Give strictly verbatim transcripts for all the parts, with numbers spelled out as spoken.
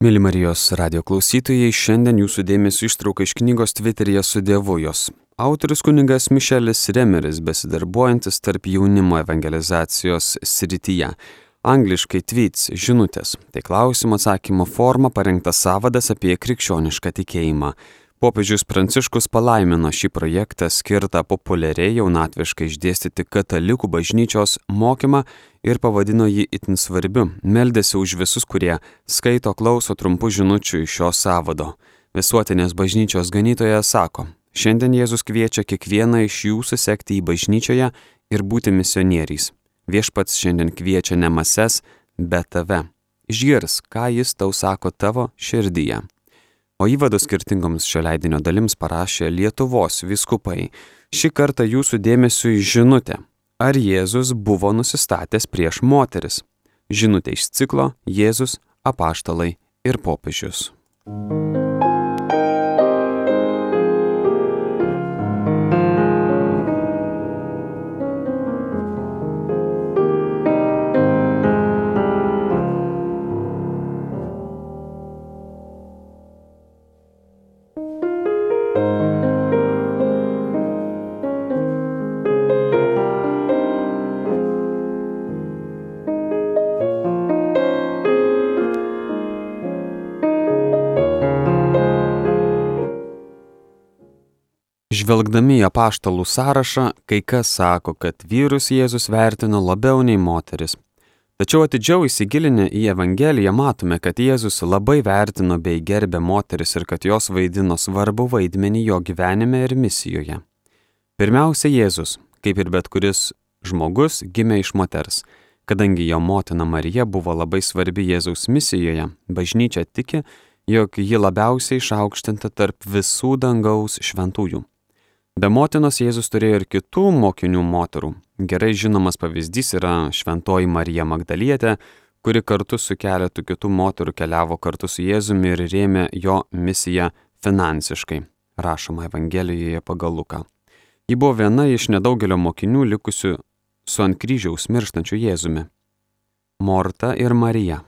Mėly Marijos radio klausytojai, šiandien jūsų dėmesio ištrauka iš knygos Tviteryje su Dievu jos. Autorius kunigas Mišelis Remeris, besidarbuojantis tarp jaunimo evangelizacijos srityje. Angliškai tweets, žinutės. Tai klausimo atsakymo forma parengtas sąvadas apie krikščionišką tikėjimą. Popiežius Pranciškus palaimino šį projektą skirtą populiariai jaunatviškai išdėstyti katalikų bažnyčios mokymą ir pavadino jį itin svarbiu. Meldėsi už visus, kurie skaito, klauso trumpų žinučių iš šio sąvado. Visuotinės bažnyčios ganytojas sako, šiandien Jėzus kviečia kiekvieną iš jūsų sekti į bažnyčioje ir būti misionieriais. Viešpats šiandien kviečia ne mases, bet tave. Išgirs, ką jis tau sako tavo širdyje. O įvadus skirtingoms šio leidinio dalims parašė Lietuvos vyskupai. Šį kartą jūsų dėmesiui žinutė. Ar Jėzus buvo nusistatęs prieš moteris? Žinutė iš ciklo Jėzus, apaštalai ir popiežius. Žvelgdami į apaštalų sąrašą, kai kas sako, kad vyrus Jėzus vertino labiau nei moteris. Tačiau atidžiau įsigilinę į Evangeliją matome, kad Jėzus labai vertino bei gerbė moteris ir kad jos vaidino svarbų vaidmenį jo gyvenime ir misijoje. Pirmiausia, Jėzus, kaip ir bet kuris žmogus, gimė iš moters. Kadangi jo motina Marija buvo labai svarbi Jėzaus misijoje, bažnyčia tiki, jog ji labiausiai išaukštinta tarp visų dangaus šventųjų. Be motinos Jėzus turėjo ir kitų mokinių moterų. Gerai žinomas pavyzdys yra šventoji Marija Magdalietė, kuri kartu su keletu kitų moterų keliavo kartu su Jėzumi ir rėmė jo misiją finansiškai, rašoma Evangelijoje pagal Luką. Ji buvo viena iš nedaugelio mokinių likusių su ant kryžiaus mirštančiu Jėzumi. Morta ir Marija.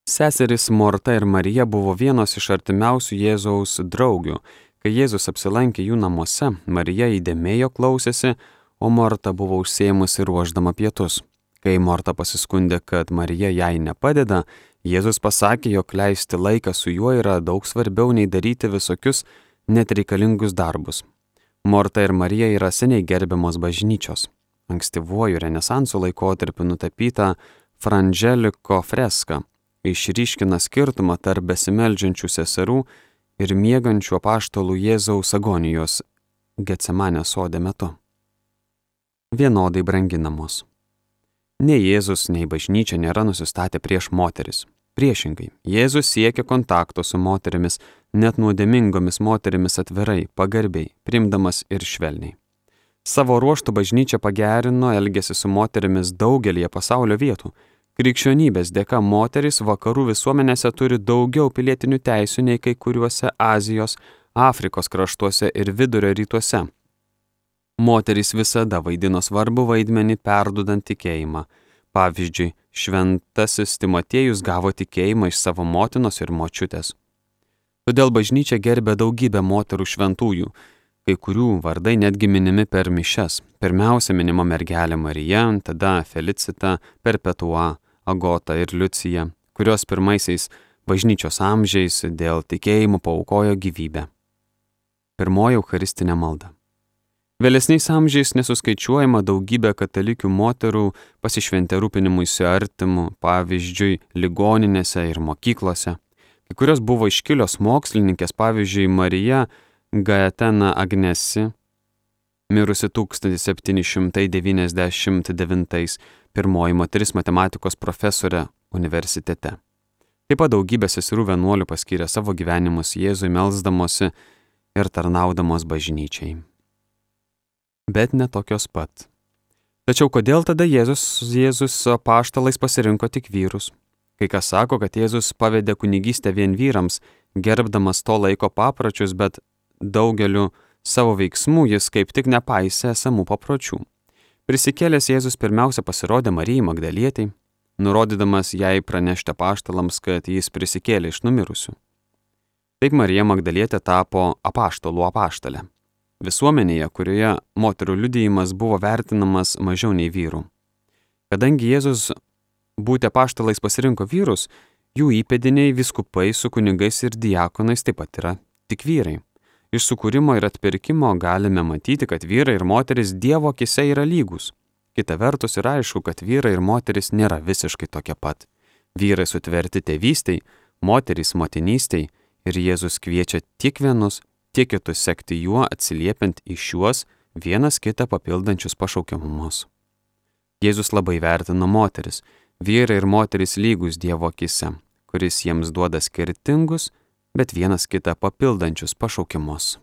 Seserys Morta ir Marija buvo vienos iš artimiausių Jėzaus draugių. Kai Jėzus apsilankė jų namuose, Marija įdėmėjo klausėsi, o Morta buvo užsiėmusi ruošdama pietus. Kai Morta pasiskundė, kad Marija jai nepadeda, Jėzus pasakė, jog leisti laiką su juo yra daug svarbiau nei daryti visokius net reikalingus darbus. Morta ir Marija yra seniai gerbiamos bažnyčios. Ankstyvuoju Renesanso laikotarpiu nutapyta Frangeliko freska išryškina skirtumą tarp besimeldžiančių seserų ir miegančių apaštalų Jėzaus agonijos Getsemanės sode metu. Vienodai branginamos. Nei Jėzus, nei bažnyčia nėra nusistatę prieš moteris. Priešingai, Jėzus siekia kontakto su moterimis, net nuodėmingomis moterimis atvirai, pagarbiai, priimdamas ir švelniai. Savo ruožtu bažnyčia pagerino elgesį su moterimis daugelįje pasaulio vietų. Krikščionybės dėka moterys vakarų visuomenėse turi daugiau pilietinių teisių nei kai kuriuose Azijos, Afrikos kraštuose ir Vidurio rytuose. Moterys visada vaidino svarbų vaidmenį perdudant tikėjimą. Pavyzdžiui, šventasis Timotiejus gavo tikėjimą iš savo motinos ir močiutės. Todėl bažnyčia gerbė daugybę moterų šventųjų, kai kurių vardai netgi minimi per mišias. Pirmiausia minima mergelė Marija, tada Felicita, Perpetua, Agota ir Liucija, kurios pirmaisiais bažnyčios amžiais dėl tikėjimo paaukojo gyvybę. Pirmoji eucharistinė malda. Vėlesniais amžiais nesuskaičiuojama daugybė katalikių moterų pasišventė rūpinimuisi artimu, pavyzdžiui, ligoninėse ir mokyklose. Kai kurios buvo iškilios mokslininkės, pavyzdžiui, Marija Gaetena Agnesi, mirusi tūkstantis septyni šimtai devyniasdešimt devintais, pirmoji moteris matematikos profesorė universitete. Taip pat daugybė seserų vienuolių paskyrė savo gyvenimus Jėzui melsdamosi ir tarnaudamos bažnyčiai. Bet ne tokios pat. Tačiau kodėl tada Jėzus, Jėzus apaštalais pasirinko tik vyrus? Kai kas sako, kad Jėzus pavedė kunigystę vien vyrams, gerbdamas to laiko papročius, bet daugeliu savo veiksmų jis kaip tik nepaisė esamų papročių. Prisikėlęs Jėzus pirmiausia pasirodė Marijai Magdalietei, nurodydamas jai pranešti apaštalams, kad jis prisikėlė iš numirusių. Taip Marija Magdalietė tapo apaštalų apaštalė. Visuomenėje, kurioje moterų liudijimas buvo vertinamas mažiau nei vyrų. Kadangi Jėzus būti apaštalais pasirinko vyrus, jų įpėdiniai vyskupai su kunigais ir diakonais taip pat yra tik vyrai. Iš sukūrimo ir atpirkimo galime matyti, kad vyrai ir moteris Dievo akise yra lygus. Kita vertus yra aišku, kad vyrai ir moteris nėra visiškai tokie pat. Vyrai sutverti tėvystei, moterys motinystei ir Jėzus kviečia tiek vienus, tiek kitus sekti juo, atsiliepiant į šiuos vienas kitą papildančius pašaukiamumus. Jėzus labai vertino moteris, vyrai ir moteris lygus Dievo akise, kuris jiems duoda skirtingus, bet vienas kitą papildančius pašaukimus.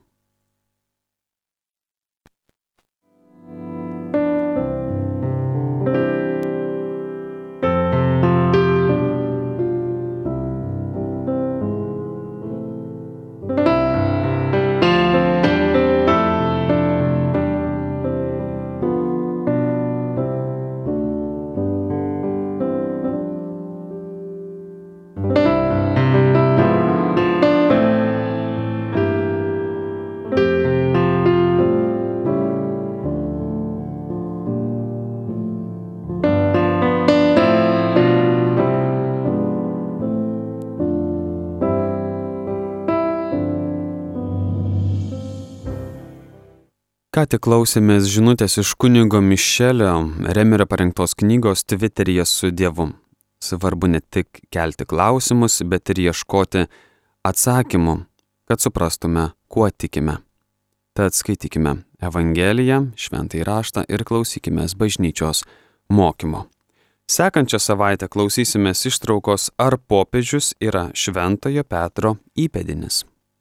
Ką tik klausėmės žinutės iš kunigo Mišelio Remerio parengtos knygos Tviteryje su Dievu. Svarbu ne tik kelti klausimus, bet ir ieškoti atsakymų, kad suprastume, kuo tikime. Tad skaitykime Evangeliją, Šventąjį raštą ir klausykimės bažnyčios mokymo. Sekančią savaitę klausysimės ištraukos, ar popiežius yra Šventojo Petro įpėdinis.